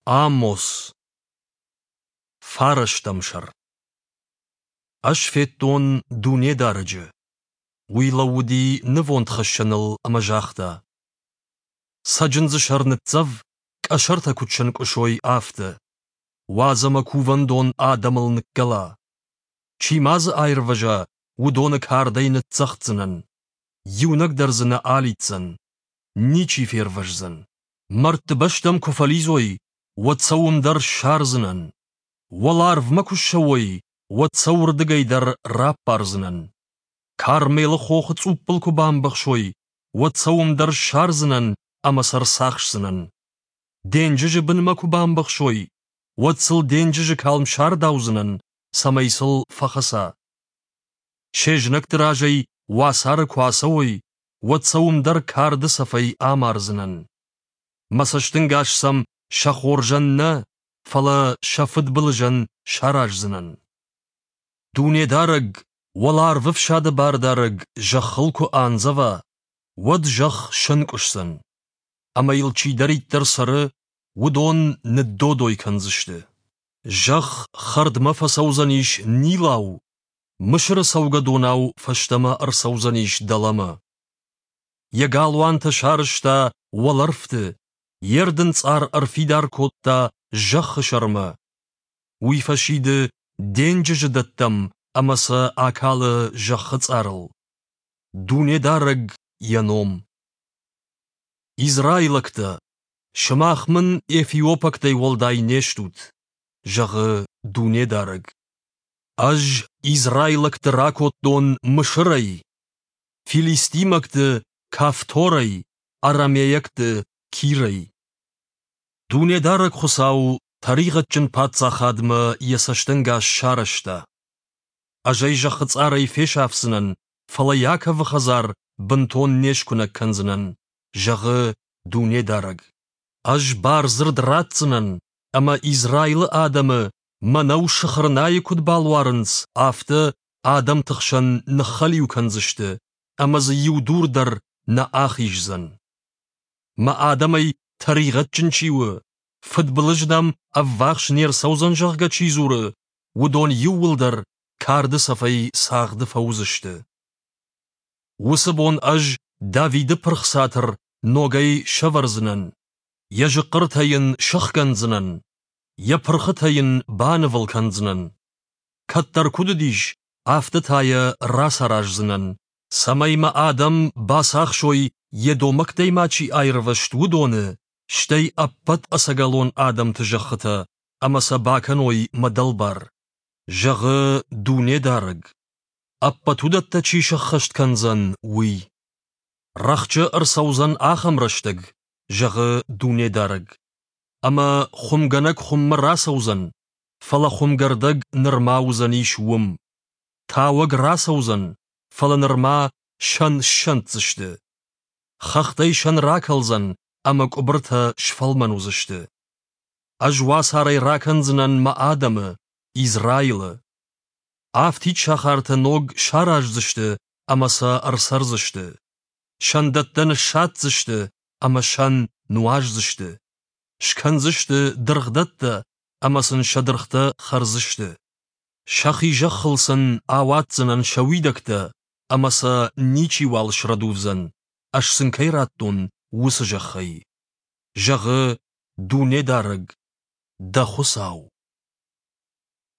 Амос. Фарӕстӕм сӕр. Ӕз федтон Дунедарӕджы. Уый лӕууыди нывондхӕссӕныл ӕмӕ загъта: Цӕджындзы сӕр ныццӕв, къӕсӕртӕ куыд сӕнкъуысой, афтӕ. Уадз ӕмӕ кувӕндон адӕмыл ныккӕла. Чи ма дзы аирвӕза, уыдоны кардӕй ныццӕгъддзынӕн. Иунӕг дӕр дзы нӕ алидздзӕн. Ничи фервӕздзӕн. Мӕрдты бӕстӕм куы фӕлидзой, уӕд сӕ уым дӕр ссардзынӕн. Уӕларвмӕ куы ссӕуой, уӕд сӕ уырдыгӕй дӕр раппардзынӕн. Кармелы хохы цъуппыл куы бамбӕхсой, уӕд сӕ уым дӕр ссардзынӕн ӕмӕ сӕ рцахсдзынӕн. Денджызы бынмӕ куы бамбӕхсой, уӕд сыл денджызы калм сардаудзынӕн, цӕмӕй сыл фӕхӕца. Се знӕгты разӕй уацары куы ацӕуой, уӕд сӕ уым дӕр карды цӕфӕй амардзынӕн. Мӕ цӕстӕнгас сӕм сӕ хорзӕн нӕ, фӕлӕ сӕ фыдбылызӕн сараздзынӕн. Дунедарӕг, уӕларвы фсады бардарӕг зӕххыл куы андзӕва, уӕд зӕхх сӕнкъуысдзӕн, ӕмӕ йыл чидӕриддӕр цӕры, уыдон ныддодой кӕндзысты. Зӕхх хӕрдмӕ фӕцӕудзӕнис Нилау, Мысыры цӕугӕдонау фӕстӕмӕ ӕрцӕудзӕнис дӕлӕмӕ. Йӕ галуантӕ сарӕзта уӕлӕрвты, йе рдынцъар ӕрфидар кодта зӕххы сӕрмӕ. Уый фӕсиды денджызы дӕттӕм ӕмӕ сӕ акалы зӕххы цъарыл. Дунедарӕг йӕ ном. Израилӕгтӕ, сымах мын эфиопӕгтӕй уӕлдай не стут, зӕгъы Дунедарӕг. Ӕз израилӕгты ракодтон Мысырӕй, филистимӕгты Кафторӕй, арамейӕгты Кирӕй. Дунедарӕг Хуыцау тӕригъӕдджын паддзахадмӕ йӕ цӕстӕнгас сарӕзта. Ӕз ӕй зӕххы цъарӕй фесафдзынӕн, фӕлӕ Иаковы хӕдзар бынтон не скуынӕг кӕндзынӕн, зӕгъы Дунедарӕг. Ӕз бардзырд ратдзынӕн, ӕмӕ Израилы адӕмы мӕнӕу сыхырнайы куыд балуарынц, афтӕ адӕмты хсӕн ныххӕлиу кӕндзысты, ӕмӕ дзы иу дур дӕр нӕ ахиздзӕн. Мӕ адӕмӕй тӕригъӕдджын чи у, фыдбылыз нӕм ӕввахс не рцӕудзӕн, зӕгъгӕ, чи дзуры, уыдон иууылдӕр карды цӕфӕй цагъды фӕуыдзысты. Уыцы бон ӕз Давиды пырх цатыр ногӕй сӕвӕрдзынӕн, йӕ зыхъхъыртӕ йын сӕхгӕндзынӕн, йӕ пырхытӕ йын банывыл кӕндзынӕн. Кӕддӕр куыд уыдис, афтӕ та йӕ рацараздзынӕн, цӕмӕй мӕ адӕм бацахсой, едомӕгтӕй ма чи аирвӕзт, уыдоны, стӕй ӕппӕт ӕцӕгӕлон адӕмты зӕххытӕ, ӕмӕ сӕ бакӕной мӕ дӕлбар, зӕгъы Дунедарӕг, ӕппӕт уыдӕттӕ чи сӕххӕст кӕндзӕн, уый. Рӕхджы ӕрцӕудзӕн ахӕм рӕстӕг, зӕгъы Дунедарӕг, ӕмӕ хуымгӕнӕг хуыммӕ рацӕудзӕн, фӕлӕ хуымгӕрдӕг нырма уыдзӕнис уым. Тауӕг рацӕудзӕн, фӕлӕ нырма сӕн ссӕнддзысты. Хӕхтӕй сӕн ракӕлдзӕн, ӕмӕ къуыбыртӕ сфӕлмӕн уыдзысты. Ӕз уацарӕй ракӕндзынӕн мӕ адӕмы, Израилы. Афтид сахартӕ ног сараздзысты ӕмӕ сӕ ӕрцӕрдзысты. Сӕндӕттӕ ныссадздзысты ӕмӕ сӕн нуаздзысты. Скӕндзысты дыргъдӕттӕ ӕмӕ сын сӕ дыргътӕ хӕрдзысты. Сӕхи зӕххыл сын ауадздзынӕн сӕ уидӕгтӕ, ӕмӕ сӕ ничиуал срӕдувдзӕн, ӕз сын кӕй радтон, уыцы зӕххӕй. Зӕгъы Дунедарӕг, дӕ Хуыцау.